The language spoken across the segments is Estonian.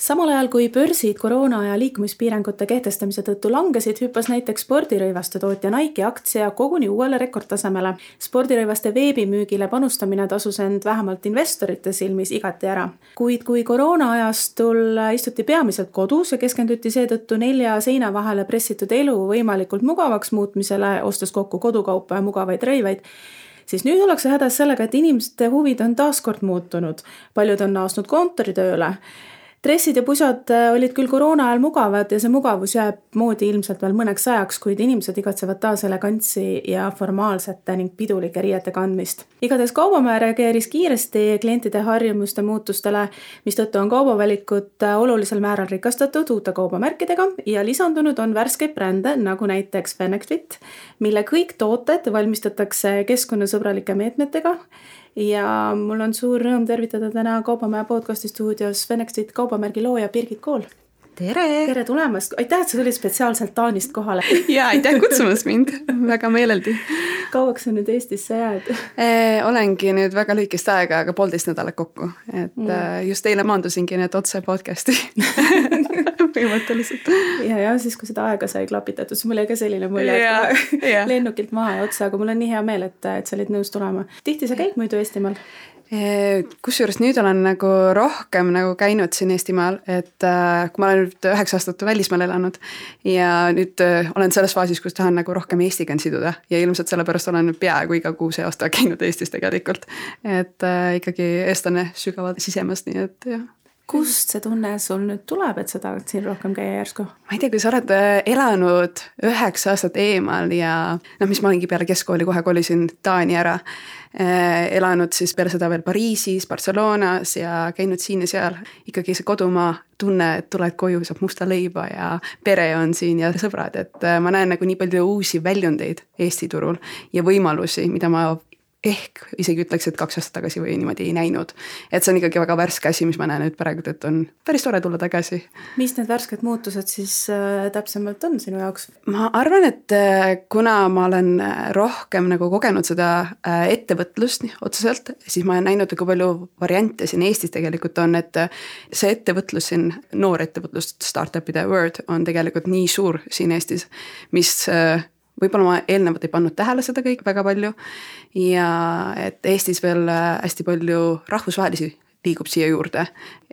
Samal ajal kui börsid koroona ja liikumispiirangute kehtestamise tõttu langesid, hüppas näiteks spordirõivaste tootja Nike aktsia koguni uuele rekordtasemele. Spordirõivaste veebimüügile panustamine tasus end vähemalt investorite silmis igati ära. Kuid kui koroona ajastul istuti peamiselt kodus ja keskenduti seetõttu 4 seina vahele pressitud elu võimalikult mugavaks muutmisele, ostes kokku kodukaupa ja mugavaid rõivaid, siis nüüd ollakse hädas sellega, et inimeste huvid on taaskord muutunud. Paljud on naasnud kontoritööle. Dressid ja pusad olid küll koroona ajal mugavad ja see mugavus jääb moodi ilmselt veel mõneks ajaks, kuid inimesed igatsevad taas elegantsi ja formaalsete ning pidulike riiete kandmist. Igatahes Kaubamäe reageeris kiiresti klientide harjumuste muutustele, mistõttu on kaubavalikut olulisel määral rikastatud uute kaubamärkidega ja lisandunud on värskeid brände, nagu näiteks Fenexfit, mille kõik tooted valmistatakse keskkonnasõbralike meetmetega. Ja mul on suur rõõm tervitada täna Kaubamäe podcasti stuudios Fenexfit kaubamärgi looja Birgit Kool. Tere tulemast! Aitäh, et sa tulid spetsiaalselt Taanist kohale. Ja, aitäh kutsumast mind. Väga meeleldi. Kauaks sa nüüd Eestisse jääd? Olengi nüüd väga lühikest aega, aga 1,5 nädalat kokku. Just eile maandusingi need otse podcasti. Põhimõtteliselt. Ja siis kui seda aega sai klapitatud, siis mul jäi ka selline mulje, et lennukilt maha ja otsa, aga mul on nii hea meel, et sa olid nõus tulema. Tihti sa käid muidu Eestimaal? Kusjuures nüüd olen nagu rohkem nagu käinud siin Eestimaal, et kui ma olen nüüd 9 aastat välismaal elanud ja nüüd olen selles faasis, kus tahan nagu rohkem Eestiga siduda ja ilmselt sellepärast olen peaaegu iga 6 aasta käinud Eestis tegelikult, et ikkagi eestlane sügavalt sisemast, nii et jah. Kust see tunne sul nüüd tuleb, et sa tahad siin rohkem käia järsku? Ma ei tea, kui sa oled elanud 9 aastat eemal ja mis ma olingi peale keskkooli kohe kolisin Taani ära, elanud siis peale seda veel Pariisis, Barcelonas ja käinud siin ja seal. Ikkagi see kodumaa tunne, et tuled koju, saab musta leiba ja pere on siin ja sõbrad, et ma näen nagu nii palju uusi väljundeid Eesti turul ja võimalusi, mida ma ehk isegi ütleks, et 2 aastat tagasi või niimoodi ei näinud. Et see on ikkagi väga värske asi, mis ma näen nüüd praegu, et on päris tore tulla tagasi. Mis need värsked muutused siis täpsemalt on sinu jaoks? Ma arvan, et kuna ma olen rohkem nagu kogenud seda ettevõtlust otseselt, siis ma olen näinud nagu palju variante siin Eestis tegelikult on, et see ettevõtlus siin, noor ettevõtlus, startupide word on tegelikult nii suur siin Eestis, mis võib-olla ma eelnevalt ei pannud tähele seda kõik väga palju ja et Eestis veel hästi palju rahvusvahelisi liigub siia juurde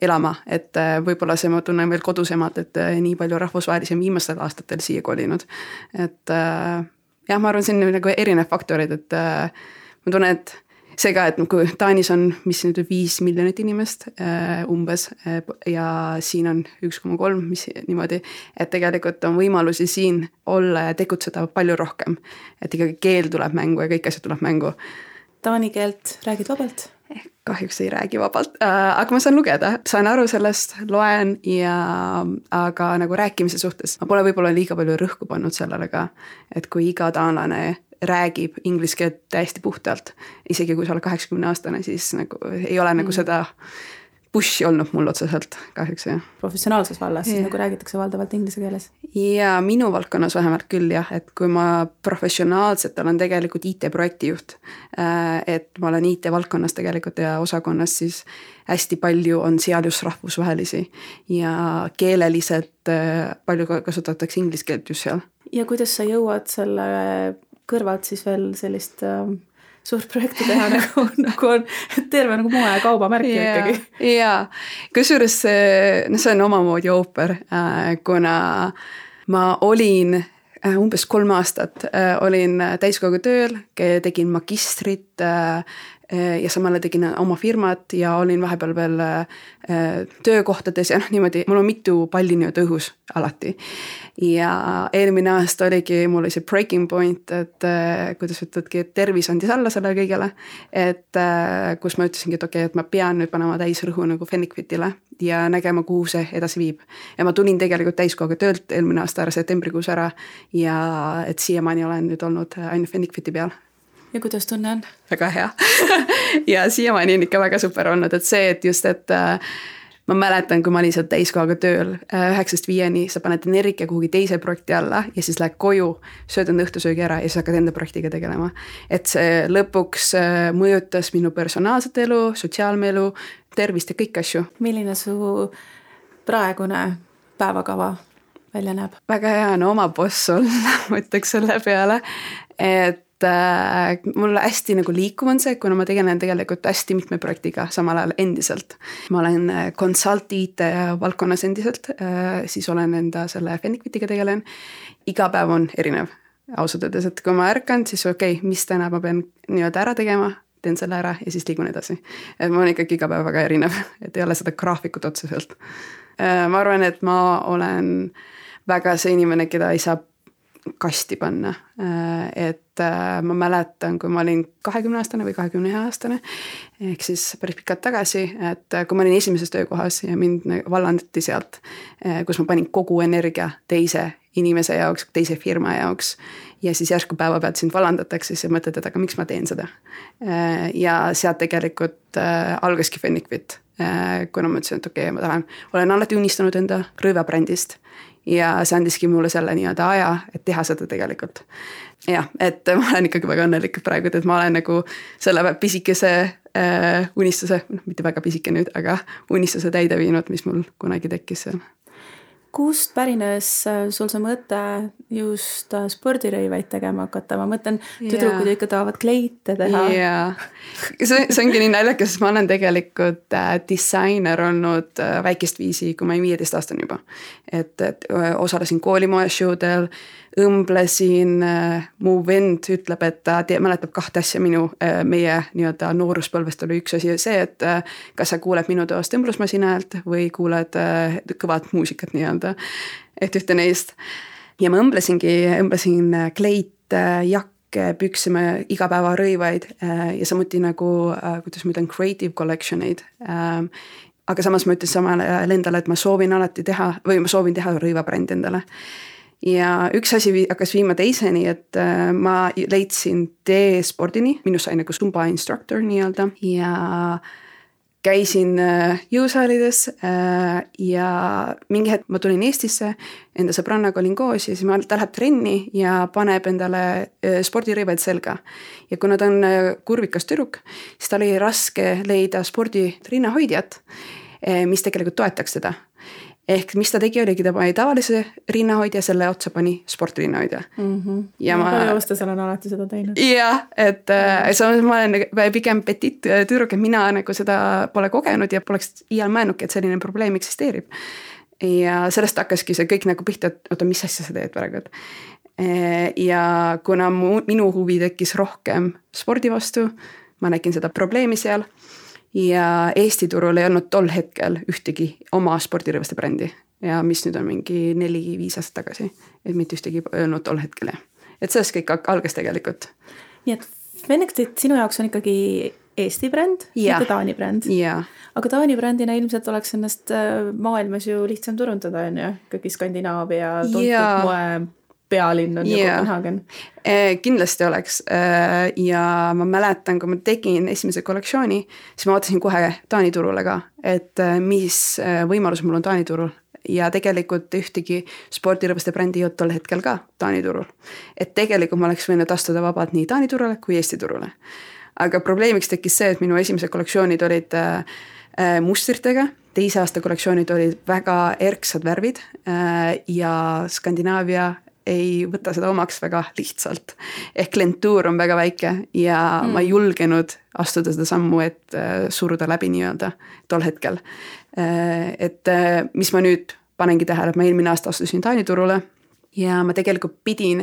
elama, et võib-olla see ma tunnen veel kodusemalt, et nii palju rahvusvahelisi on viimastel aastatel siia kolinud. Et jah, ma arvan, siin nagu erinev faktorid, et ma tunnen, et see ka, et kui Taanis on, mis nüüd 5 miljonit inimest umbes ja siin on 1,3, mis niimoodi, et tegelikult on võimalusi siin olla ja tegutseda palju rohkem. Et ikkagi keel tuleb mängu ja kõik asjad tuleb mängu. Taani keelt räägid vabalt? Kahjuks ei räägi vabalt, aga ma saan lugeda, saan aru sellest, loen ja aga nagu rääkimise suhtes ma pole võib-olla liiga palju rõhku pannud sellele ka, et kui iga taanlane räägib inglise keelt täiesti puhtalt, isegi kui sa oled 80-aastane, siis nagu ei ole nagu seda pushi olnud mul otseselt kahjuks, jah. Professionaalses vallas, siis nagu räägitakse valdavalt inglise keeles? Ja minu valdkonnas vähemalt küll jah, et kui ma professionaalselt olen tegelikult IT-projektijuht, et ma olen IT-valdkonnas tegelikult ja osakonnas, siis hästi palju on seal just rahvusvahelisi ja keeleliselt palju kasutatakse inglise keelt just seal. Ja kuidas sa jõuad selle kõrvalt siis veel sellist suurt projekti teha, nagu on terve nagu moe ja kaubamärki ikkagi. Jaa, kusjuures see on omamoodi ooper, kuna ma olin umbes 3 aastat, olin täiskogu tööl, tegin magistrit ja samale tegin oma firmat ja olin vahepeal veel töökohtades ja niimoodi, mul on mitu palli nii õhus alati. Ja eelmine aasta oligi, mul oli see breaking point, et kuidas ütledki, et tervis andis alla selle kõigele, et kus ma ütlesingi, et okei, et ma pean nüüd panema täisrõhu nagu Fenexfitile ja nägema, kuhu see edasi viib. Ja ma tulin tegelikult täiskogu töölt eelmine aasta ära, septembrikuus ära ja et siiamaani olen nüüd olnud ainult Fenexfiti peal. Ja kuidas tunne on? Väga hea. Ja siiamaani on ikka väga super olnud, et see, et just, et ma mäletan, kui ma olin seal täiskohaga tööl 9-5, sa paned energia kuhugi teise projekti alla ja siis lähed koju, sööd enda õhtusöögi ära ja siis hakkad enda projektiga tegelema. Et see lõpuks mõjutas minu personaalset elu, sotsiaalme elu, tervist ja kõik asju. Milline su praegune päevakava välja näeb? Väga hea on oma boss olla, ma ütleks selle peale, et mul hästi nagu liikuv on see, kuna ma tegelen tegelikult hästi mitme projektiga samal ajal endiselt. Ma olen consult IT valdkonnas endiselt, siis olen enda selle Fennikvitiga tegelen. Iga päev on erinev ausalt öeldes, et kui ma ärkan, siis okei, mis täna ma pean nii-öelda ära tegema, teen selle ära ja siis liigun edasi. Et ma olen ikkagi iga päev väga erinev, et ei ole seda graafikut otseselt. Ma arvan, et ma olen väga see inimene, keda ei saa kasti panna, et ma mäletan, kui ma olin 20-aastane või 21-aastane, ehk siis päris pikalt tagasi, et kui ma olin esimeses töökohas ja mind vallandati sealt, kus ma panin kogu energia teise inimese jaoks, teise firma jaoks ja siis järsku päeva pealt sind vallandatakse, siis mõtled, et aga miks ma teen seda. Ja sealt tegelikult algaski Fennikvit, kuna ma ütlesin, et okei, ma olen alati unistanud enda rõivabrändist ja see andiski mulle selle nii-öelda aja, et teha seda tegelikult. Jah, et ma olen ikkagi väga õnnelik praegu, et ma olen nagu selle pisikese unistuse, mitte väga pisike nüüd, aga unistuse täide viinud, mis mul kunagi tekkis seal. Kust pärines sul see mõte just spordirõivaid tegema hakata? Ma mõtlen, tüdrukud ikka tahavad kleite teha. Jaa, see ongi nii naljakas, sest ma olen tegelikult disainer olnud väikest viisi, kui ma olin 15 aastane juba. Et osalesin koolimoeshowdel, õmblesin, mu vend ütleb, et ta mäletab 2 asja meie nii-öelda nooruspõlvest oli üks asi see, et kas sa kuuled minu toast õmblusmasina häält või kuuled kõvat muusikat nii-öelda, et ühte neist. Ja ma õmblesin kleit, jakke, püksime igapäeva rõivaid ja samuti nagu, kuidas ma ütlen, creative collection'id. Aga samas ma ütlen samale endale, et ma soovin teha rõivabrändi endale. Ja üks asi hakkas viima teiseni, et ma leidsin spordini, minust sai nagu Zumba instructor nii-öelda ja käisin jõusaalides ja mingi hetk ma tulin Eestisse, enda sõbrannaga olin koos ja siis ta läheb trenni ja paneb endale spordirõivaid selga. Ja kuna ta on kurvikas tüdruk, siis ta oli raske leida spordirinnahoidjat, mis tegelikult toetaks teda. Ehk mis ta tegi, oligi ta pani tavalise rinnahoidja, selle otsa pani sportrinnahoidja. Ja palju ostas olen alati seda teinud. Jah, et ma olen pigem petit tüdruk, et mina nagu seda pole kogenud ja poleks iial mõelnudki, et selline probleem eksisteerib. Ja sellest hakkaski see kõik nagu pihta, et oota, mis asja sa teed praegu. Ja kuna minu huvi tekkis rohkem spordi vastu, ma nägin seda probleemi seal. Ja Eesti turul ei olnud tol hetkel ühtegi oma spordirõivaste brändi ja mis nüüd on mingi 4-5 aastat tagasi, et mitte ühtegi öelnud tol hetkel. Et sellest kõik algas tegelikult. Nii et Fennikvit sinu jaoks on ikkagi Eesti bränd, mitte Taani bränd. Aga Taani brändina ilmselt oleks ennast maailmas ju lihtsam turundada, on ju? Ikkagi Skandinaavia tuntud moe pealinn on ju Kopenhagen. Kindlasti oleks ja ma mäletan, kui ma tegin esimese kollektsiooni, siis ma vaatasin kohe Taani turule ka, et mis võimalus mul on Taani turul ja tegelikult ühtegi spordirõivaste brändi ei olnud tol hetkel ka Taani turul. Et tegelikult ma oleks võinud astuda vabalt nii Taani turule kui Eesti turule. Aga probleemiks tekkis see, et minu esimesed kollektsioonid olid mustritega, teise aasta kollektsioonid olid väga erksad värvid ja Skandinaavia ei võta seda omaks väga lihtsalt. Ehk klientuur on väga väike ja ma ei julgenud astuda seda sammu, et suruda läbi nii-öelda tol hetkel. Et mis ma nüüd panengi tähele, et ma eelmine aasta astusin Taani turule ja ma tegelikult pidin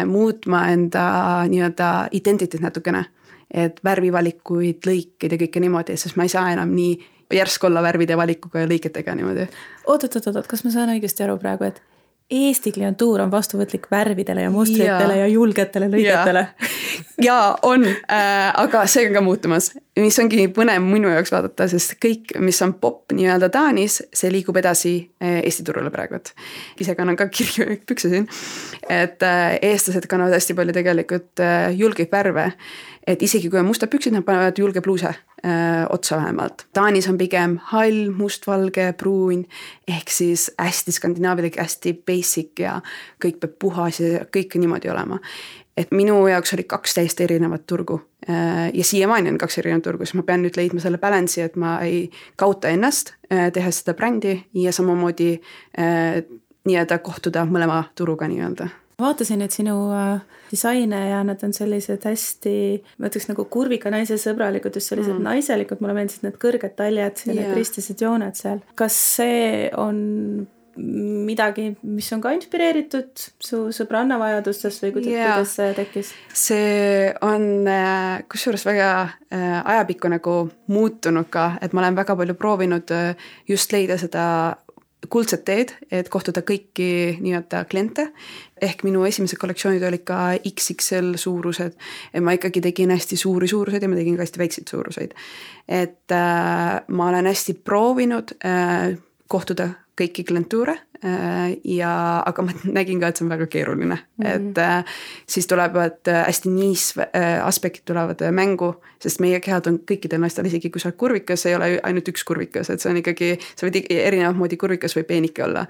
muutma enda nii-öelda identiteet natukene. Et värvivalikuid, lõikeid ja kõike niimoodi, sest ma ei saa enam nii järsk olla värvide valikuga ja lõiketega niimoodi. Oot, kas ma saan õigesti aru praegu, et Eesti klientuur on vastuvõtlik värvidele ja mustritele ja julgetele lõigetele. Ja on, aga see on ka muutumas, mis ongi põnev minu jaoks vaadata, sest kõik, mis on pop nii-öelda Taanis, see liigub edasi Eesti turule praegu. Ise kannan ka kirju pükse siin, et eestlased kannavad hästi palju tegelikult julgeid värve, et isegi kui on musta püksid, nad panevad julge pluuse otsa vähemalt. Taanis on pigem hall, mustvalge, pruun, ehk siis hästi skandinaavilik, hästi basic ja kõik peab puhas ja kõik niimoodi olema. Et minu jaoks oli 2 täiesti erinevat turgu ja siiamaani on 2 erinevat turgu, siis ma pean nüüd leidma selle balansi, et ma ei kaota ennast, tehes seda brändi ja samamoodi nii-öelda kohtuda mõlema turuga nii-öelda. Vaatasin, et sinu disaine ja nad on sellised hästi, ma ütleks nagu kurvika naise sõbralikud, just sellised naiselikud, mulle meeldisid need kõrged taljad ja need ristised jooned seal. Kas see on midagi, mis on ka inspireeritud su sõbranna vajadustest või kuidas see tekkis? See on kusjuures väga ajapikku nagu muutunud ka, et ma olen väga palju proovinud just leida seda kuldset teed, et kohtuda kõiki nii-öelda kliente, ehk minu esimesed kollektsioonid olid ka XXL suurused, et ma ikkagi tegin hästi suuri suuruseid ja ma tegin ka hästi väikseid suuruseid. Et ma olen hästi proovinud kohtuda kõiki klientuure, aga ma nägin ka, et see on väga keeruline. Et siis tulevad hästi niis aspektid tulevad mängu, sest meie kehad on kõikidel naistel, isegi kui sa oled kurvikas, ei ole ainult üks kurvikas, et see on ikkagi, sa võid erinevat moodi kurvikas või peenike olla.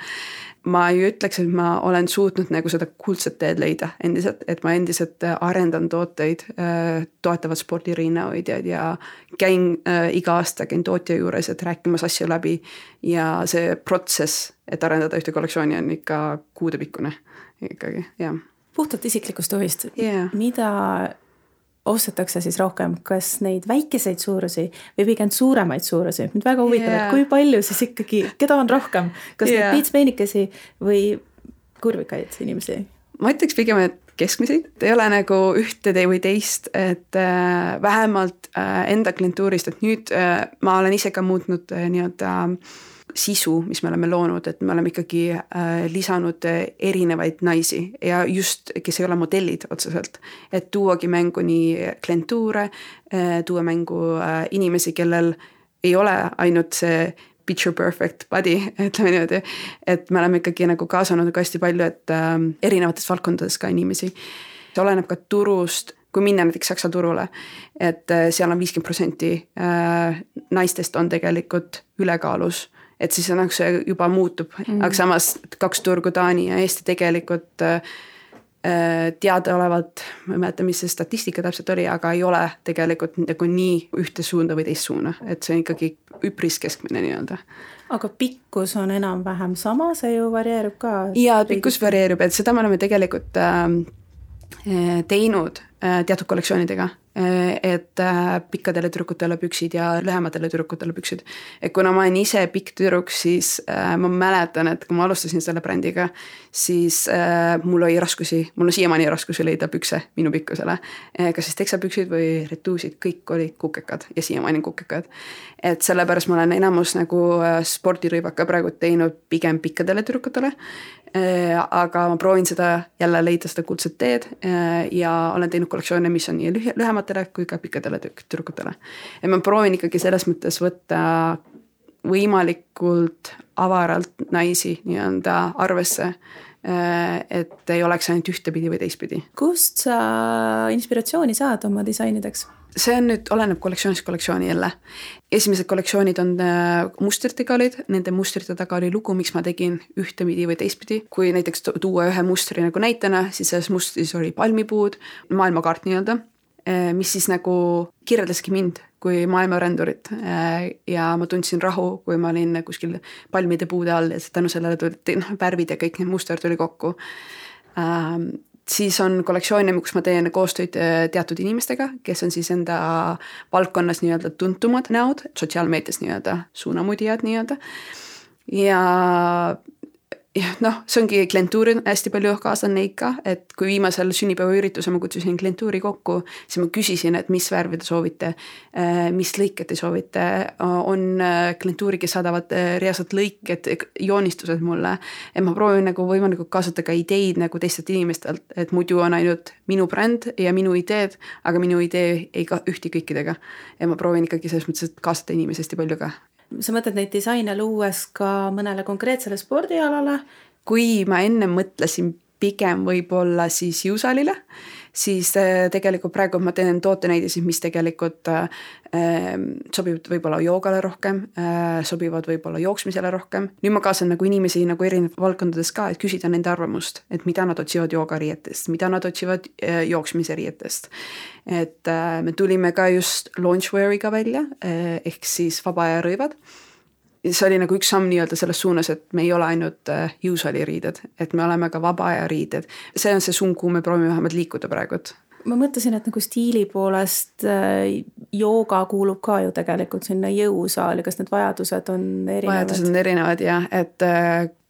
Ma ju ütleks, et ma olen suutnud nagu seda kuldset teed leida endiselt, et ma endiselt arendan tooteid, toetavad spordirinnahoidjad ja käin iga aasta käin tootja juures, et rääkimas asju läbi ja see protsess, et arendada ühte kollektsiooni on ikka kuudepikkune ikkagi, jah. Puhtalt isiklikust huvist, mida ostetakse siis rohkem, kas neid väikeseid suurusi või pigem suuremaid suurusi? Mind väga huvitab, et kui palju siis ikkagi, keda on rohkem? Kas neid piitspeenikesi või kurvikaid inimesi? Ma ütleks pigem, et keskmiseid. Ei ole nagu ühte või teist, et vähemalt enda klientuurist, et nüüd ma olen ise ka muutnud nii-öelda sisu, mis me oleme loonud, et me oleme ikkagi lisanud erinevaid naisi ja just, kes ei ole modellid otseselt, et tuuagi mängu nii klientuure, tuua mängu inimesi, kellel ei ole ainult see picture perfect body, ütleme niimoodi, et me oleme ikkagi nagu kaasanud ka hästi palju, et erinevates valdkondades ka inimesi. See oleneb ka turust, kui minna näiteks Saksa turule, et seal on 50% naistest on tegelikult ülekaalus, et siis on, see juba muutub, aga samas 2 turgu Taani ja Eesti tegelikult teadaolevalt, ma ei mäleta, mis see statistika täpselt oli, aga ei ole tegelikult nagu nii ühte suunda või teist suuna, et see on ikkagi üpris keskmine nii-öelda. Aga pikkus on enam-vähem sama, see ju varieerub ka? Ja pikkus varieerub, et seda me oleme tegelikult teinud teatud kollektsioonidega, et pikkadele tüdrukutele püksid ja lühematele tüdrukutele püksid. Et kuna ma olen ise pikk tüdruk, siis ma mäletan, et kui ma alustasin selle brändiga, siis mul on siiamaani raskusi leida pükse minu pikkusele. Kas siis teksapüksid või retuusid, kõik olid kukekad ja siiamaani kukekad. Et sellepärast ma olen enamus nagu spordirõivaka praegu teinud pigem pikkadele tüdrukutele, aga ma proovin seda jälle leida seda kuldset teed ja olen teinud kollektsioone, mis on nii lühematele kui ka pikkadele tüdrukutele. Ja ma proovin ikkagi selles mõttes võtta võimalikult avaralt naisi nii-öelda arvesse, et ei oleks ainult ühtepidi või teistpidi. Kust sa inspiratsiooni saad oma disainideks? See on nüüd, oleneb kollektsioonist kollektsiooni jälle. Esimesed kollektsioonid on mustritega olid, nende mustrite taga oli lugu, miks ma tegin ühtepidi või teistpidi. Kui näiteks tuua ühe mustri nagu näitena, siis selles mustris oli palmipuud, maailmakaart nii-öelda, mis siis nagu kirjeldaski mind kui maailmarändurit ja ma tundsin rahu, kui ma olin kuskil palmide puude all ja tänu sellele tulid värvid ja kõik need muster tuli kokku. Siis on kollektsioone, kus ma teen koostööd teatud inimestega, kes on siis enda valdkonnas nii-öelda tuntumad näod, sotsiaalmeedias nii-öelda suunamudijad nii-öelda. Ja noh, see ongi klientuuri hästi palju kaasan neid ka, et kui viimasel sünnipäevaürituse ma kutsusin klientuuri kokku, siis ma küsisin, et mis värvi te soovite, mis lõiked te soovite, on klientuuri, kes saadavad reaalselt lõiked, joonistused mulle, et ma proovin nagu võimalikult kaasata ka ideid nagu teistelt inimestelt, et muidu on ainult minu bränd ja minu ideed, aga minu idee ei ühti kõikidega ja ma proovin ikkagi selles mõttes, et kaasata inimesi hästi palju ka. Sa mõtled neid disaine luues ka mõnele konkreetsele spordialale? Kui ma enne mõtlesin pigem võib-olla siis jõusaalile, siis tegelikult praegu ma teen tootenäidisid, mis tegelikult sobivad võib-olla joogale rohkem, sobivad võib-olla jooksmisele rohkem. Nüüd ma kaasan nagu inimesi nagu erinevates valdkondades ka, et küsida nende arvamust, et mida nad otsivad joogariietest, mida nad otsivad jooksmise riietest. Et me tulime ka just launchweariga välja, ehk siis vaba aja rõivad. See oli nagu üks samm nii-öelda selles suunas, et me ei ole ainult jõusaali riided, et me oleme ka vaba aja riided. See on see suund, kuhu me proovime vähemalt liikuda praegu. Ma mõtlesin, et nagu stiili poolest jooga kuulub ka ju tegelikult sinna jõusaali, kas need vajadused on erinevad? Vajadused on erinevad jah, et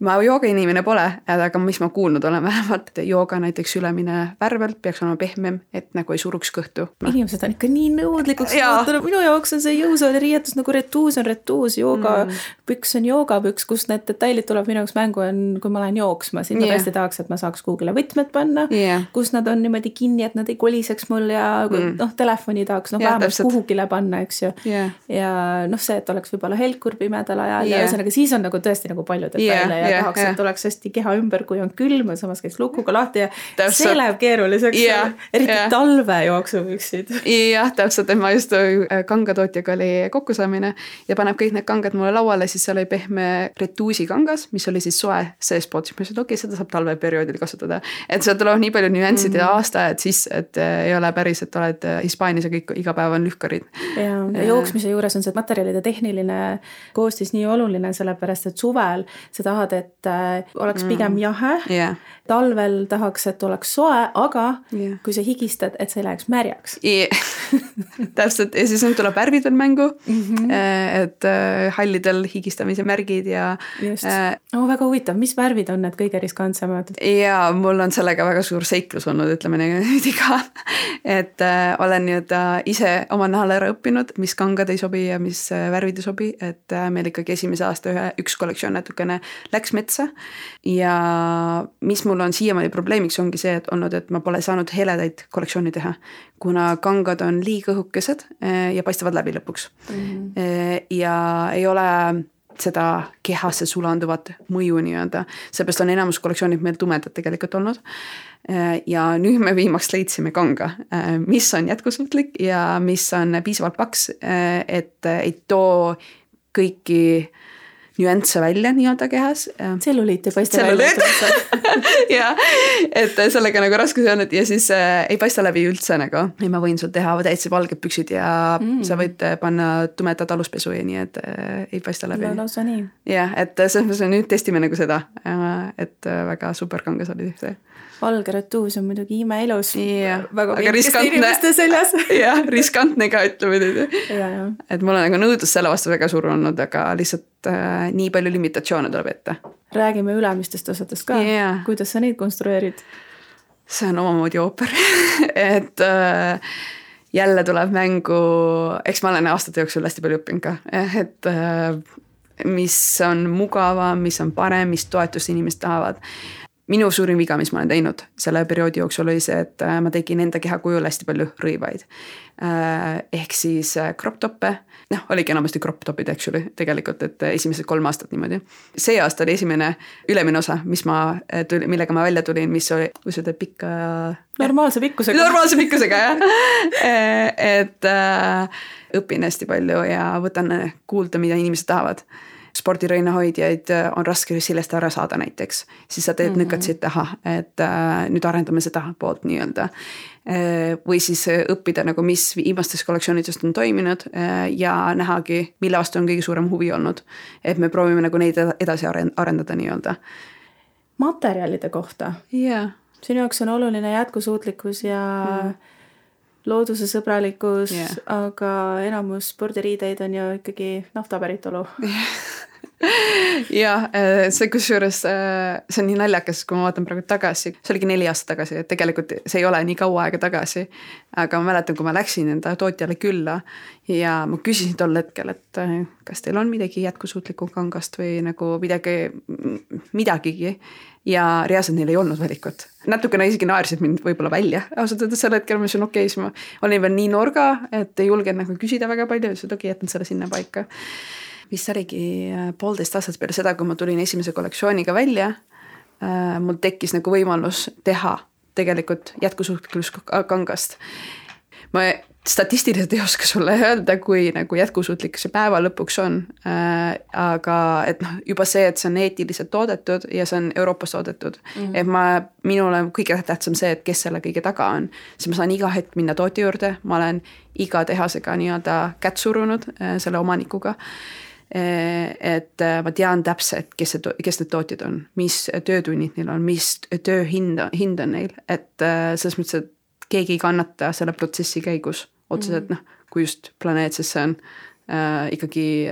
ma jooga inimene pole, aga mis ma kuulnud olen vähemalt, jooga näiteks ülemine värvelt peaks olema pehmem, et nagu ei suruks kõhtu. Inimesed on ikka nii nõudlikuks muutunud, minu jaoks on see jõusaali riietus nagu retuus on retuus, joogapüks on joogapüks, kus need detailid tuleb minu jaoks mängu on, kui ma lähen jooksma, siis ma tõesti tahaks, et ma saaks kuhugile võtmed panna, kus nad on niimoodi kinni, et nad ei koliseks mul ja telefoni tahaks vähemalt kuhugile panna, eks ju. Ja see, et oleks võib-olla helkur pimedal ajal ja ühesõnaga siis on nagu tõesti nagu palju detaile ja tahaks, et oleks hästi keha ümber, kui on külm, samas käis lukuga lahti ja see läheb keeruliseks, eriti talve jooksupüksid. Jah, täpselt, et ma just kangatootjaga oli kokkusaamine ja paneb kõik need kangad mulle lauale, siis seal oli pehme retuusi kangas, mis oli siis soe seespoot, siis ma ütlesin, okei, seda saab talveperioodil kasutada. Et seal tuleb nii palju nüansid ja aastaajad sisse, et ei ole päris, et oled Hispaanias ja kõik iga päev on lühkarid. Ja jooksmise juures on see materjalide tehniline koostis nii oluline, sellepärast, et suvel sa tahad, et oleks pigem jahe. Talvel tahaks, et oleks soe, aga kui sa higistad, et see läheks märjaks. Täpselt, ja siis tuleb värvid veel mängu, et hallidel higistamise märgid ja just. Väga huvitav, mis värvid on need kõige riskantsemad? Ja mul on sellega väga suur seiklus olnud, ütleme nüüd ka, et olen nüüd ise oma nahal ära õppinud, mis kangad ei sobi ja mis värvid ei sobi, et meil ikkagi esimese aasta üks kollektsioon natukene läks metsa ja mis mul on siiamaani probleemiks ongi see, et olnud, et ma pole saanud heledaid kollektsiooni teha, kuna kangad on liiga õhukesed ja paistavad läbi lõpuks. Ja ei ole seda kehasse sulanduvat mõju nii-öelda, seepärast on enamus kollektsioonid meil tumedad tegelikult olnud. Ja nüüd me viimaks leidsime kanga, mis on jätkusuutlik ja mis on piisavalt paks, et ei too kõiki nüansse välja nii-öelda kehas. Tselluliit ei paista välja. Ja, et sellega nagu raske see on, et ja siis ei paista läbi üldse nagu. Ja ma võin sul teha täitsa valged püksid ja sa võid panna tumedad aluspesu ja nii, et ei paista läbi. Lausa nii. Ja, et selles nüüd testime nagu seda, et väga super kangas oli see. Valge retuus on muidugi imeilus. Väga riskantne. Ja, riskantne ka ütleme nüüd. Et mul on nagu nõudlus selle vastu väga suur olnud, aga lihtsalt nii palju limitatsioone tuleb ette. Räägime ülemistest osadest ka. Kuidas sa neid konstrueerid? See on omamoodi ooper. Et jälle tuleb mängu, eks ma olen aastate jooksul hästi palju õppinud ka, et mis on mugava, mis on parem, mis toetust inimesed tahavad. Minu suurim viga, mis ma olen teinud selle perioodi jooksul oli see, et ma tegin enda keha kujul hästi palju rõivaid. Ehk siis crop toppe, oligi enamasti crop topid, actually, tegelikult, et esimesed 3 aastat niimoodi. See aasta oli esimene ülemine osa, millega ma välja tulin, mis oli, kui seda pikka... Normaalse pikkusega. Normaalse pikkusega, jah. Et õpin hästi palju ja võtan kuulda, mida inimesed tahavad. Spordirõinahoidjaid on raske sellest ära saada näiteks, siis sa teed nõkatsid taha, et nüüd arendame seda poolt nii-öelda. Või siis õppida nagu mis viimastes kollektsioonidest on toiminud ja nähagi, mille vastu on kõige suurem huvi olnud. Et me proovime nagu neid edasi arendada nii-öelda. Materjalide kohta? Sinu jaoks on oluline jätkusuutlikkus ja looduse sõbralikkus, aga enamus spordiriideid on ju ikkagi naftapäritolu. Ja see kusjuures, see on nii naljakas, kui ma vaatan praegu tagasi, see oligi 4 aastat tagasi, et tegelikult see ei ole nii kaua aega tagasi, aga ma mäletan, kui ma läksin enda tootjale külla ja ma küsisin tol hetkel, et kas teil on midagi jätkusuutlikku kangast või nagu midagigi ja reaalselt neil ei olnud valikut. Natukene isegi naersid mind võib-olla välja, ausalt öeldes selle hetkel ma ütlesin okei, siis ma olin veel nii norga, et ei julgenud nagu küsida väga palju, siis okei, jätan selle sinna paika. Mis oligi 1,5 aastat peale seda, kui ma tulin esimese kollektsiooniga välja, mul tekkis nagu võimalus teha tegelikult jätkusuutlikkuskangast. Ma statistiliselt ei oska sulle öelda, kui nagu jätkusuutlik see päeva lõpuks on, aga et juba see, et see on eetiliselt toodetud ja see on Euroopas toodetud, et minule kõige tähtsam see, et kes selle kõige taga on, siis ma saan iga hetk minna tooti juurde, ma olen iga tehasega nii-öelda kätt surunud selle omanikuga, et ma tean täpselt, kes need tootjad on, mis töötunnid neil on, mis tööhind on neil, et selles mõttes, et keegi ei kannata selle protsessi käigus otseselt, kui just planeetsesse on ikkagi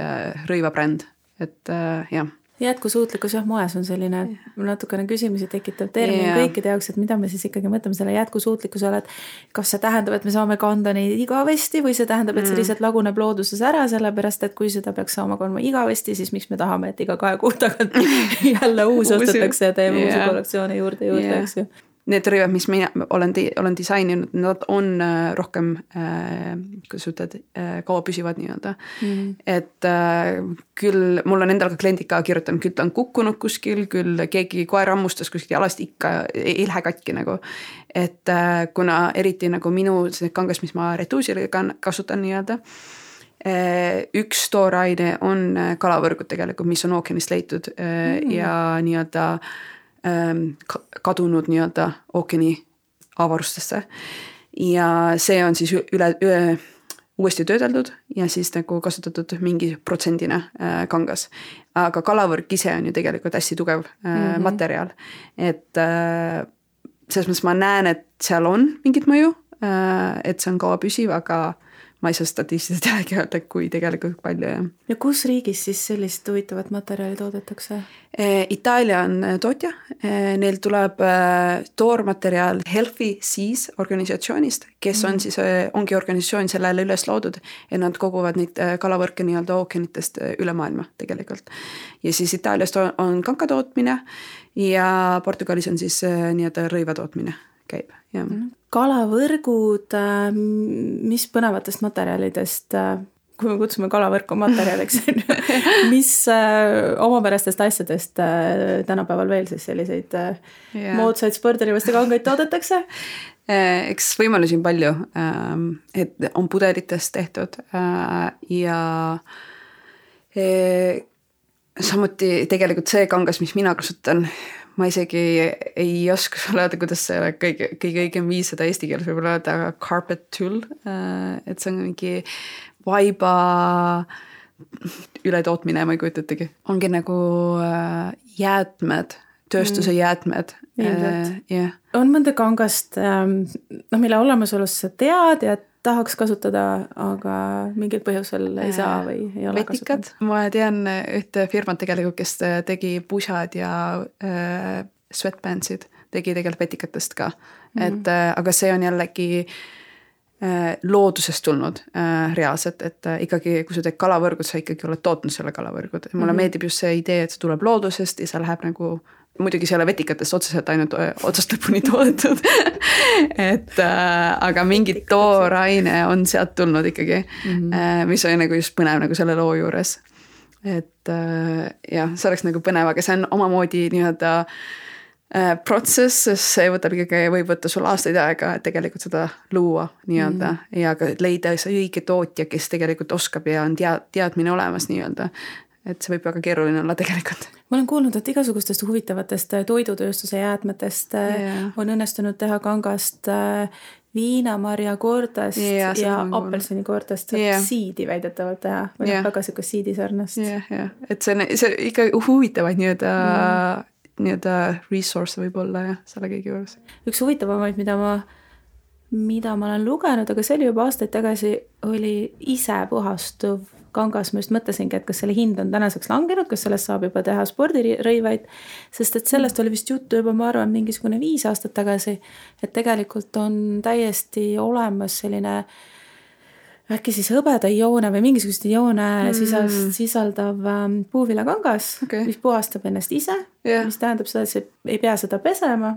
rõivabränd, et jah. Jätkusuutlikkus moes on selline natukene küsimusi tekitav termin kõikide jaoks, et mida me siis ikkagi mõtleme selle jätkusuutlikkusele, et kas see tähendab, et me saame kanda neid igavesti või see tähendab, et see lihtsalt laguneb looduses ära, sellepärast et kui seda peaks saama kandma igavesti, siis miks me tahame, et iga 2 kuu tagant jälle uus ostetakse ja teeme uusi kollektsioone juurde, eks ju. Need rõivad, mis mina olen disaininud, nad on rohkem, kuidas ütled, kaua püsivad nii-öelda. Et küll, mul on endal ka kliendid ka kirjutanud, küll ta on kukkunud kuskil, küll keegi koer ammustas kuskil jalast ikka ei lähe katki nagu. Et kuna eriti nagu minu kangas, mis ma retuusile kasutan nii-öelda, üks tooraine on kalavõrgud tegelikult, mis on ookeanist leitud ja nii-öelda kadunud nii-öelda ookeani avarustesse ja see on siis uuesti töödeldud ja siis nagu kasutatud mingi protsendina kangas. Aga kalavõrk ise on ju tegelikult hästi tugev materjal, et selles mõttes ma näen, et seal on mingit mõju, et see on kaua püsiv, aga ma ei saa statistiliselt jällegi öelda, kui tegelikult palju. Ja kus riigis siis sellist huvitavat materjali toodetakse? Itaalia on tootja, neil tuleb toormateriaal Healthy Seas organisatsioonist, kes on siis, ongi organisatsioon sellele üles loodud ja nad koguvad neid kalavõrke nii-öelda ookeanitest üle maailma tegelikult. Ja siis Itaaliast on kankatootmine ja Portugalis on siis nii-öelda rõivatootmine käib. Ja. Kalavõrgud, mis põnevatest materjalidest, kui me kutsume kalavõrku materjaliks, mis omapärastest asjadest tänapäeval veel siis selliseid moodsaid spordirõivaste kangaid toodetakse? Eks võimalusi on palju, et on pudelitest tehtud ja samuti tegelikult see kangas, mis mina kasutan, ma isegi ei oska sulle öelda, kuidas see kõige õigem viis seda eesti keeles võib öelda carpet tull, et see on mingi vaiba ületootmine, ma ei kujutatagi. Ongi nagu jäätmed, tööstuse jäätmed. On mõnda kangast, mille olemasolust sa tead ja tahaks kasutada, aga mingil põhjusel ei saa või ei ole vetikad. Ma tean ühte firmat tegelikult, kes tegi pusad ja sweatpantsid, tegi tegelikult vetikatest ka. Et, aga see on jällegi loodusest tulnud reaalselt, et ikkagi kui sa teed kalavõrgud, sa ikkagi oled tootnud selle kalavõrgud. Mulle meeldib just see idee, et see tuleb loodusest ja see läheb nagu muidugi selle vetikatest otseselt ainult otsast lõpuni toodetud. Et, aga mingi tooraine on sealt tulnud ikkagi, mis oli nagu just põnev nagu selle loo juures. Et jah, see oleks nagu põnev, aga see on omamoodi nii-öelda protsess, see võtab ikkagi, võib võtta sul aastaid aega, et tegelikult seda luua nii-öelda ja ka leida see õige tootja, kes tegelikult oskab ja on teadmine olemas nii-öelda. Et see võib väga keeruline olla tegelikult. Ma olen kuulnud, et igasugustest huvitavatest toidutööstuse jäätmetest on õnnestunud teha kangast viinamarjakoordest ja apelsinikoordest siidi väidetavalt teha. Või väga siukest siidisarnast. Et see ikka huvitavaid nii-öelda resource võib olla ja selle kõigi juures. Üks huvitavamaid, mida ma olen lugenud, aga see oli juba aastaid tagasi, oli ise puhastuv kangas. Ma just mõtlesingi, et kas selle hind on tänaseks langenud, kas sellest saab juba teha spordirõivaid, sest et sellest oli vist juttu juba, ma arvan, mingisugune 5 aastat tagasi, et tegelikult on täiesti olemas selline äkki siis hõbeda joone või mingisugust joone sisaldav puuvilakangas, mis puhastab ennast ise, mis tähendab seda, et see ei pea seda pesema.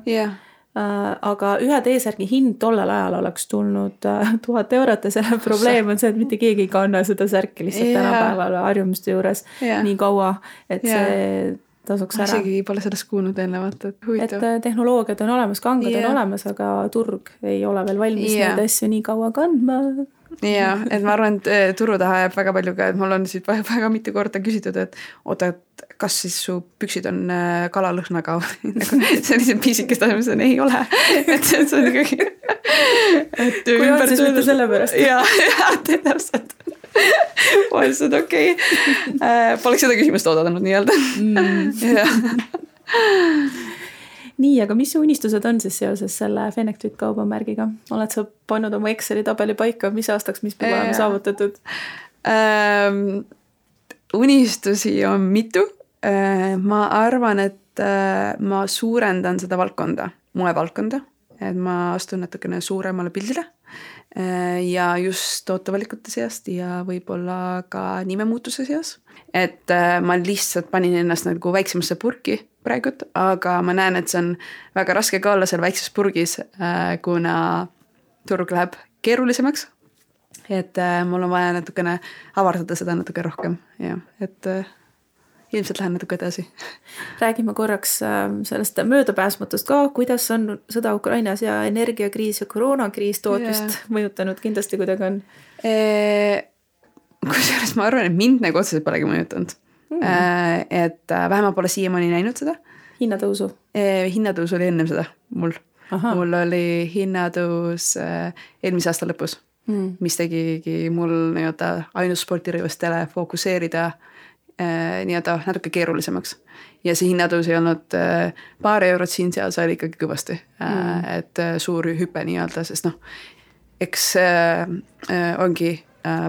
Aga ühe T-särgi hind tollel ajal oleks tulnud 1000 eurot ja selle probleem on see, et mitte keegi ei kanna seda särki lihtsalt tänapäeval harjumuste juures nii kaua, et see tasuks ära. Isegi pole sellest kuulnud eelnevalt, et huvitav. Et tehnoloogiad on olemas, kangad on olemas, aga turg ei ole veel valmis neid asju nii kaua kandma. Ja, et ma arvan, et turu taha jääb väga palju ka, et mul on siit väga mitu korda küsitud, et oota, et kas siis su püksid on kalalõhnaga sellised piisikest asjad, ei ole. Et see on ikkagi kui on siis mitte selle pärast. Ja, täpselt. Ma ütlesin, okei. Poleks seda küsimust oodanud nii-öelda. Nii, aga mis su unistused on siis seoses selle Fenectwit kaubamärgiga? Oled sa pannud oma Exceli tabeli paika, mis aastaks, mis peab olema saavutatud? Unistusi on mitu. Ma arvan, et ma suurendan seda valdkonda, moevaldkonda, et ma astun natukene suuremale pildile ja just tootevalikute seast ja võib-olla ka nimemuutuse seas. Et ma lihtsalt panin ennast nagu väiksemasse purki praegult, aga ma näen, et see on väga raske ka olla seal väikses purgis, kuna turg läheb keerulisemaks. Et mul on vaja natukene avardada seda natuke rohkem. Ja, et ilmselt lähen natuke edasi. Räägime korraks sellest möödapääsmatust ka, kuidas on sõda Ukrainas ja energiakriis ja koroonakriis tootmist mõjutanud kindlasti kuidagi on? Kusjuures ma arvan, et mind nagu otseselt polegi mõjutanud. Et vähemalt pole siiamaani näinud seda. Hinnatõusu? Hinnatõus oli ennem seda mul. Aha. Mul oli hinnatõus eelmise aasta lõpus, mis tegigi mul ainult spordirõivastele fookuseerida nii-öelda natuke keerulisemaks. Ja see hinnatõus ei olnud paar eurot siin seal, see oli ikkagi kõvasti. Et suur hüpe nii-öelda, sest eks ongi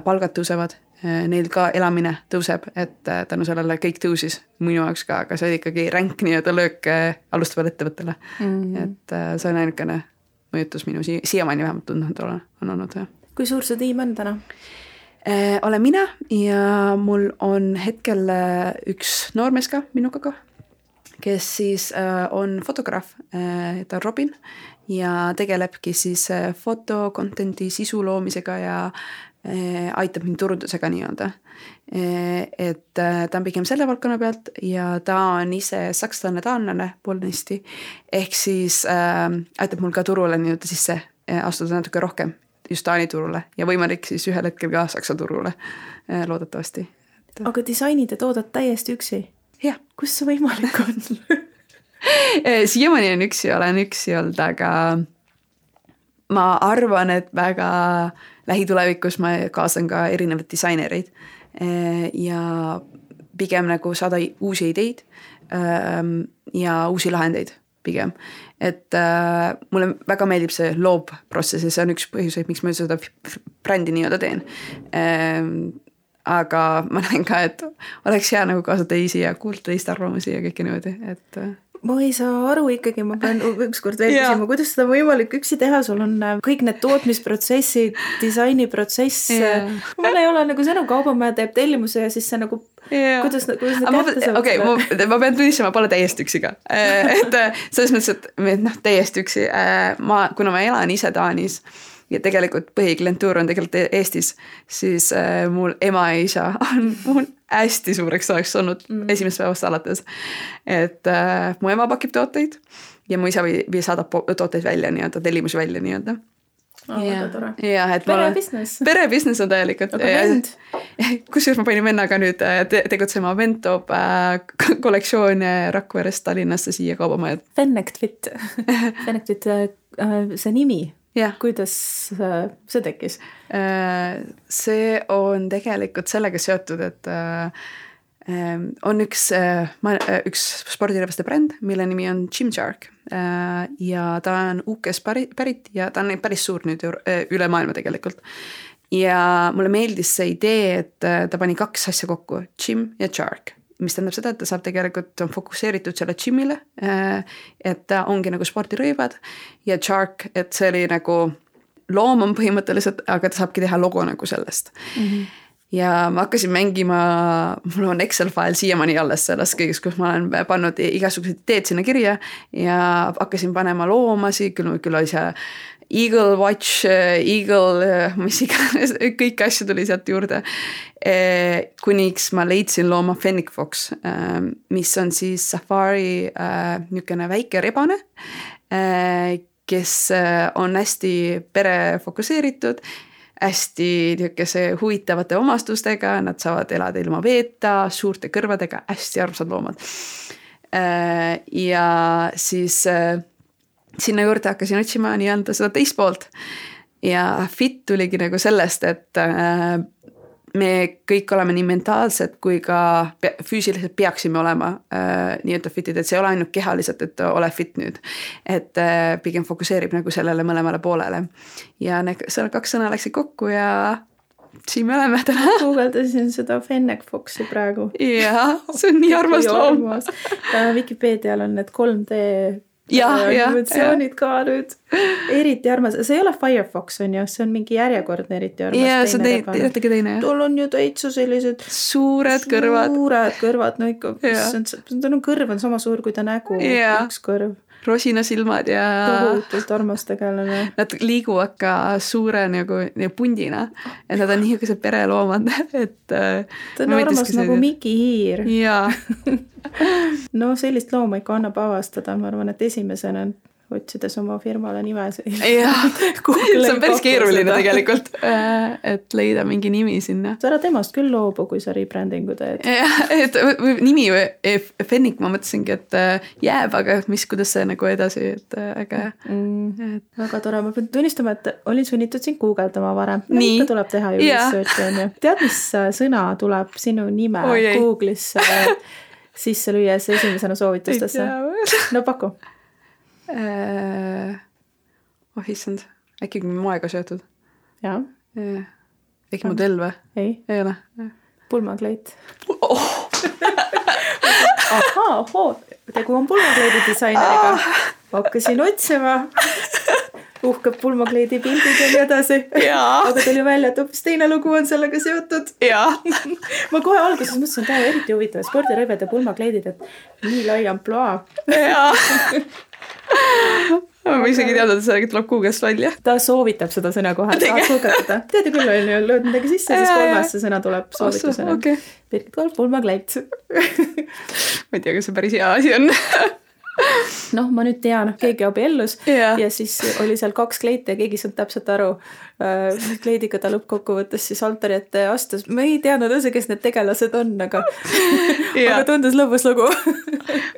palgad tõusevad, neil ka elamine tõuseb, et tänu sellele kõik tõusis minu jaoks ka, aga see oli ikkagi ränk nii-öelda löök alustavale ettevõttele. Et see on ainukene mõjutus minu siiamaani vähemalt tundnud on olnud. Kui suur see tiim on täna? Olen mina ja mul on hetkel üks noormees ka minuga ka, kes siis on fotograaf, ta on Robin ja tegelebki siis fotokontenti sisu loomisega ja aitab mind turundusega nii-öelda. Et ta on pigem selle valdkonna pealt ja ta on ise sakslane, taanlane poolnisti, ehk siis aitab mul ka turule nii-öelda sisse astuda natuke rohkem just Taani turule ja võimalik siis ühel hetkel ka Saksa turule loodetavasti. Aga disainid ja toodad täiesti üksi? Jah. Kus see võimalik on? Siiamaani on üksi olnud, aga ma arvan, et väga lähitulevikus ma kaasan ka erinevad disainereid ja pigem nagu saada uusi ideid ja uusi lahendeid pigem. Et mulle väga meeldib see loobprotsess ja see on üks põhjuseid, miks ma seda brändi nii-öelda teen. Aga ma näen ka, et oleks hea nagu kaasa teisi ja kuulda teiste arvamusi ja kõike niimoodi, et ma ei saa aru ikkagi, ma pean ükskord veel küsima, kuidas seda võimalik üksi teha, sul on kõik need tootmisprotsessid, disainiprotsess, mul ei ole nagu sõnu, kaubamäe teeb tellimuse ja siis see nagu, kuidas kätte saab? Okei, ma pean tunnistama, pole täiesti üksi ka, et selles mõttes, et täiesti üksi, kuna ma elan ise Taanis ja tegelikult põhiklientuur on tegelikult Eestis, siis mul ema ja isa on mul hästi suureks ajaks olnud esimest päevast alates. Et mu ema pakib tooteid ja mu isa saadab tooteid välja nii-öelda, tellimusi välja nii-öelda. Väga tore. Perebusiness. Perebusiness on täielikult. Aga vend? Kusjuures ma panin vennaga nüüd tegutsema, vend toob kollektsioone Rakverest Tallinnasse siia kaubamajad. Fenectwit, see nimi. Ja. Kuidas see tekkis? See on tegelikult sellega seotud, et on üks spordirõivaste bränd, mille nimi on Gymshark ja ta on UK-s pärit ja ta on päris suur nüüd üle maailma tegelikult. Ja mulle meeldis see idee, et ta pani kaks asja kokku, Gym ja Shark. Mis tähendab seda, et ta saab tegelikult on fokuseeritud selle gymile, et ta ongi nagu spordirõivad ja Shark, et see oli nagu loom on põhimõtteliselt, aga ta saabki teha logo nagu sellest. Ja ma hakkasin mängima, mul on Excel-file siiamaani alles sellest kõigest, kus ma olen pannud igasugused ideed sinna kirja ja hakkasin panema loomasi, küll oli see Eagle Watch, Eagle, mis iganes, kõik asju tuli sealt juurde. Kuniks ma leidsin looma Fennec Fox, mis on siis safari niisugune väike rebane, kes on hästi perefokuseeritud, hästi niisuguse huvitavate omastustega, nad saavad elada ilma veeta, suurte kõrvadega, hästi armsad loomad. Ja siis sinna juurde hakkasin otsima nii-öelda seda teist poolt ja fit tuligi nagu sellest, et me kõik oleme nii mentaalsed kui ka füüsiliselt peaksime olema nii-öelda fitid, et see ei ole ainult kehaliselt, et ole fit nüüd, et pigem fokuseerib nagu sellele mõlemale poolele ja seal 2 sõna läksid kokku ja siin me oleme täna. Googledasin seda Fennec Foxi praegu. Jaa, see on nii armas loom. Wikipeedial on need 3D animatsioonid ka nüüd. Eriti armas. See ei ole Firefox on ju, see on mingi järjekordne eriti armas. Jaa, see on teine. Tal on ju täitsa sellised suured kõrvad. Suured kõrvad, no ikka. Tal on kõrv on sama suur kui ta nägu. Üks kõrv. Rosinasilmad ja tohutult armas tegelane. Nad liiguvad ka suure nagu pundina, et nad on niisugused pereloomad, et ta on armas nagu Miki hiir. Jaa. No sellist looma ikka annab avastada, ma arvan, et esimesena otsides oma firmale nime. Jaa, see on päris keeruline tegelikult, et leida mingi nimi sinna. Sa ära temast küll loobu, kui sa rebrandingu teed. Et nimi Fennec, ma mõtlesingi, et jääb, aga kuidas see nagu edasi, et äge. Väga tore, ma pean tunnistama, et olin sunnitud siin guugeldama varem. Ikka tuleb teha ju researchi. Tead, mis sõna tuleb sinu nime Google'is sisse lüües esimesena soovitustesse? No paku. Issand, äkki moega seotud? Jaa. Äkki modell või? Ei ole. Pulmakleit. Tegu on pulmakleidi disaineriga. Hakkasin otsima. Uhkeb pulmakleidi pildid ja nii edasi. Aga tuli välja, et hoopis teine lugu on sellega seotud. Ma kohe alguses mõtlesin, et eriti huvitav spordirõived ja pulmakleidid, et nii lai amploa. Ma isegi teada, et see tuleb Google'st välja. Ta soovitab seda sõna kohe. Tead ju küll, lööd midagi sisse, siis 3. sõna tuleb soovitusena. Birgit Kolb, pulmakleit. Ma ei tea, kas see päris hea asi on. Noh, ma nüüd tean, keegi abiellus ja siis oli seal 2 kleite ja keegi saanud täpselt aru. Kleidiga ta lõppkokkuvõttes siis altari ette astus. Ma ei teadnud üldse, kes need tegelased on, aga tundus lõbus lugu.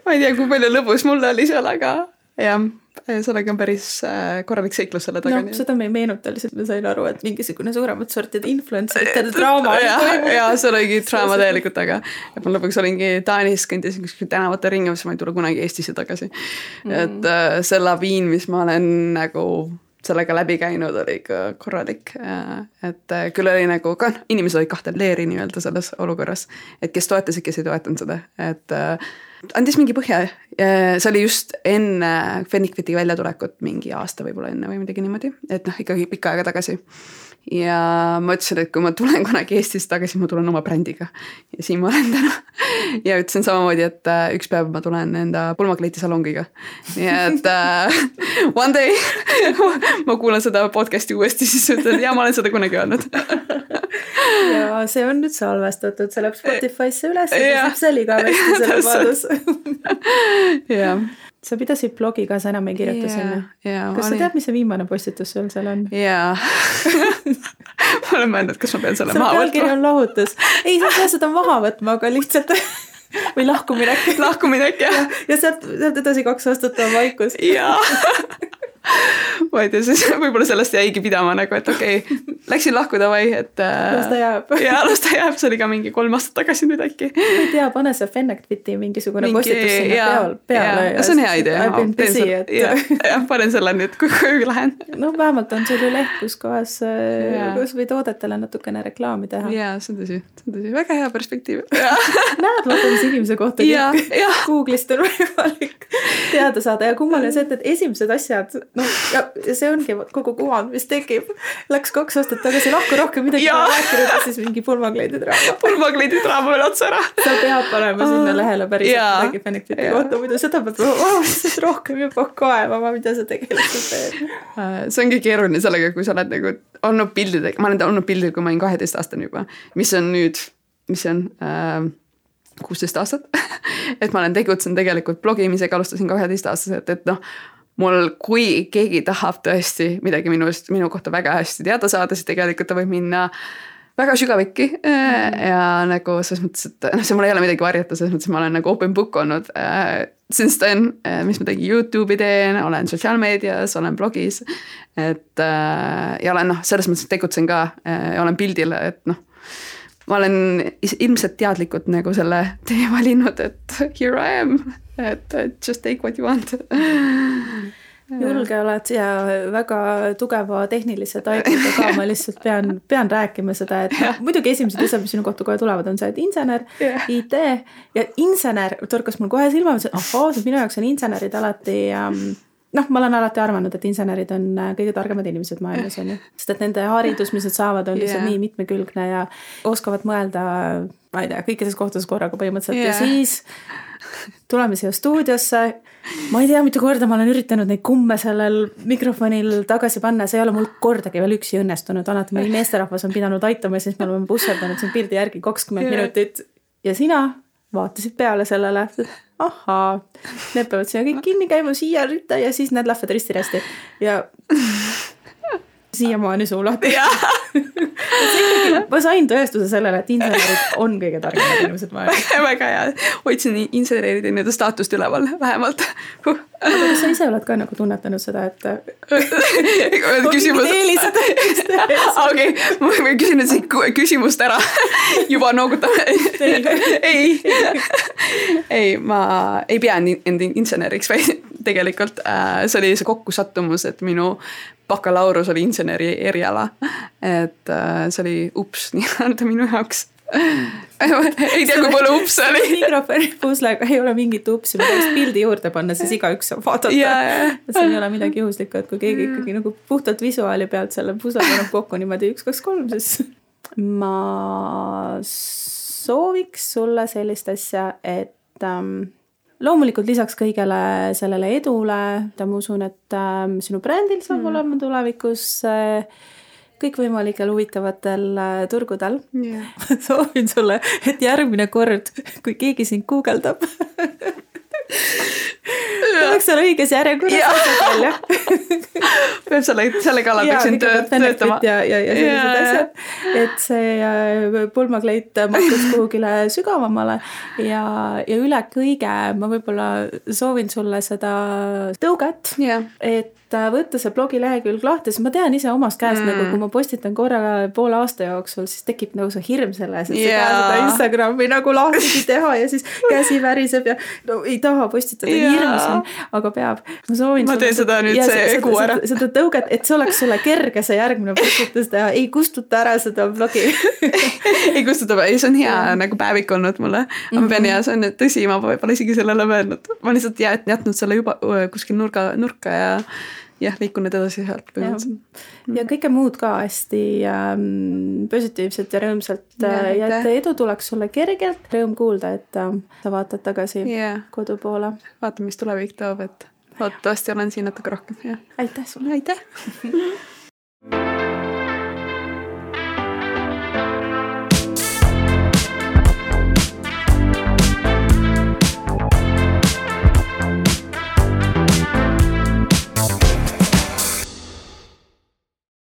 Ma ei tea, kui palju lõbus mul oli seal, aga sellega on päris korralik seiklus selle taga. No, seda me ei meenuta, lihtsalt me sain aru, et mingisugune suuremat sortide influencerite draama. Ja see oligi draama täielikult taga. Et ma lõpuks olingi Taanis, kõndisin tänavate ringi, mis ma ei tule kunagi Eestisse tagasi. Et see laviin, mis ma olen nagu sellega läbi käinud, oli ikka korralik. Et küll oli nagu, inimesed olid 2 leeri nii-öelda selles olukorras. Et kes toetasid, kes ei toetanud seda. Et andis mingi põhja. See oli just enne Fennec Fiti väljatulekut mingi aasta võib-olla enne või midagi niimoodi. Et ikkagi pikka aega tagasi. Ja ma ütlesin, et kui ma tulen kunagi Eestisse tagasi, ma tulen oma brändiga. Ja siin ma olen täna. Ja ütlesin samamoodi, et üks päev ma tulen enda pulmakleiti salongiga. Nii et one day ma kuulan seda podcasti uuesti, siis ütlen, ja ma olen seda kunagi öelnud. Ja see on nüüd salvestatud, see läheb Spotify'sse üles ja saab selliga vesti selle vaadus. Sa pidasid blogi ka, sa enam ei kirjuta sinna. Kas sa tead, mis see viimane postitus sul seal on? Jaa. Ma olen mõelnud, kas ma pean selle maha võtma. Selle pealkiri on lahutus. Ei, sa pead seda maha võtma, aga lihtsalt või lahkuminek. Lahkuminek, jah. Ja sealt edasi 2 aastat on vaikus. Jaa. Ma ei tea, siis võib-olla sellest jäigi pidama nagu, et okei, läksin lahkuda vai, et las ta jääb. Jaa, las ta jääb, see oli ka mingi 3 aastat tagasi nüüd äkki. Ma ei tea, pane see Fennec Fiti mingisugune postitus sinna peale. See on hea idea. I've been busy, et jah, panen selle nüüd, kui lähen. No vähemalt on sul ju leht, kus kohas või toodetele natukene reklaami teha. Jaa, see on tõsi. Väga hea perspektiiv. Näed, vaata, mis inimese kohta Google'ist on võimalik teada saada ja kummaline see, et esimesed asjad no ja see ongi kogu kuvand, mis tekib. Läks 2 aastat tagasi lahku rohkem midagi rääkinud ja siis mingi pulmakleedidraama. Pulmakleedidraama veel otsa ära. Sa pead panema sinna lehele päriselt midagi Benefiti kohta, muidu seda pead rohkem juba kaevama, mida sa tegelikult teed. See ongi keeruline sellega, kui sa oled nagu olnud pildidega, ma olen olnud pildil, kui ma olin 12 aastane juba, mis on nüüd, 16 aastat, et ma olen tegutsenud tegelikult blogimisega, alustasin 12 aastaselt, et noh, mul, kui keegi tahab tõesti midagi minu kohta väga hästi teada saada, siis tegelikult ta võib minna väga sügavikki ja nagu selles mõttes, et see mul ei ole midagi varjata, selles mõttes, et ma olen nagu open book olnud since then, mis ma tegin YouTube'i teen, olen sotsiaalmeedias, olen blogis, et ja olen selles mõttes tegutsen ka ja olen pildil, et noh, ma olen ilmselt teadlikult nagu selle tee valinud, et here I am, et just take what you want. Julge oled ja väga tugeva tehnilise taibuga ka, ma lihtsalt pean rääkima seda, et muidugi esimesed asjad, mis sinu kohta kohe tulevad, on see, et insener, IT ja insener torkas mul kohe silma, et minu jaoks on insenerid alati noh, ma olen alati arvanud, et insenerid on kõige targemad inimesed maailmas, on ju. Sest et nende haridus, mis nad saavad, on lihtsalt nii mitmekülgne ja oskavad mõelda, ma ei tea, kõikides kohtades korraga põhimõtteliselt. Ja siis tuleme siia stuudiosse. Ma ei tea, mitu korda ma olen üritanud neid kumme sellel mikrofonil tagasi panna. See ei ole mul kordagi veel üksi õnnestunud. Alati meil meesterahvas on pidanud aitama ja siis me oleme busserdanud siin pildi järgi 20 minutit. Ja sina vaatasid peale sellele, ahaa, need peavad siia kõik kinni käima, siia rütta ja siis need lähevad risti-rästi. Ja siiamaani suu lahti. Ma sain tõestuse sellele, et insenerid on kõige targemad inimesed maailmas. Väga hea. Hoidsin insenerid enda staatust üleval, vähemalt. Aga kas sa ise oled ka nagu tunnetanud seda, et küsimus. Okei, ma küsin nüüd siin küsimust ära. Juba noogutame. Ei, ma ei pea enda inseneriks, vaid tegelikult see oli see kokkusattumus, et minu bakalaurus oli inseneri eriala, et see oli ups nii-öelda minu jaoks. Ei tea, kui palju ups oli. Mikrofoni puslega ei ole mingit upsi, ma tahaks pildi juurde panna, siis igaüks saab vaadata. See ei ole midagi juhuslikku, et kui keegi ikkagi nagu puhtalt visuaali pealt selle pusle paneb kokku niimoodi 1, 2, 3, siis ma sooviks sulle sellist asja, et loomulikult lisaks kõigele sellele edule, ma usun, et sinu brändil saab olema tulevikus kõikvõimalikel huvitavatel turgudel. Soovin sulle, et järgmine kord, kui keegi sind guugeldab, tuleks seal õiges järjekorras välja. Peab selle kallal peaksin töötama. Ja sellised asjad, et see pulmakleit mahtuks kuhugile sügavamale ja üle kõige ma võib-olla soovin sulle seda tõuget, et võtta see blogilehekülg lahti, siis ma tean ise omast käest, nagu kui ma postitan korra poole aasta jooksul, siis tekib nagu see hirm selles, et sa seda Instagrami nagu lahti teha ja siis käsi väriseb ja no, ei taha postitada, hirmus on, aga peab. Ma teen seda nüüd see egu ära. Seda tõuget, et see oleks sulle kerge see järgmine postitus teha, ei kustuta ära seda blogi. Ei kustuta, ei see on hea nagu päevik olnud mulle. Ma pean ja see on tõsi, ma võib-olla isegi sellele mõelnud. Ma lihtsalt jätnud selle juba kuskil nurka ja liikunud edasi sealt. Ja kõike muud ka hästi positiivselt ja rõõmsalt ja et edu tuleks sulle kergelt. Rõõm kuulda, et sa vaatad tagasi kodu poole. Vaata, mis tulevik toob, et loodetavasti olen siin natuke rohkem. Aitäh sulle. Aitäh.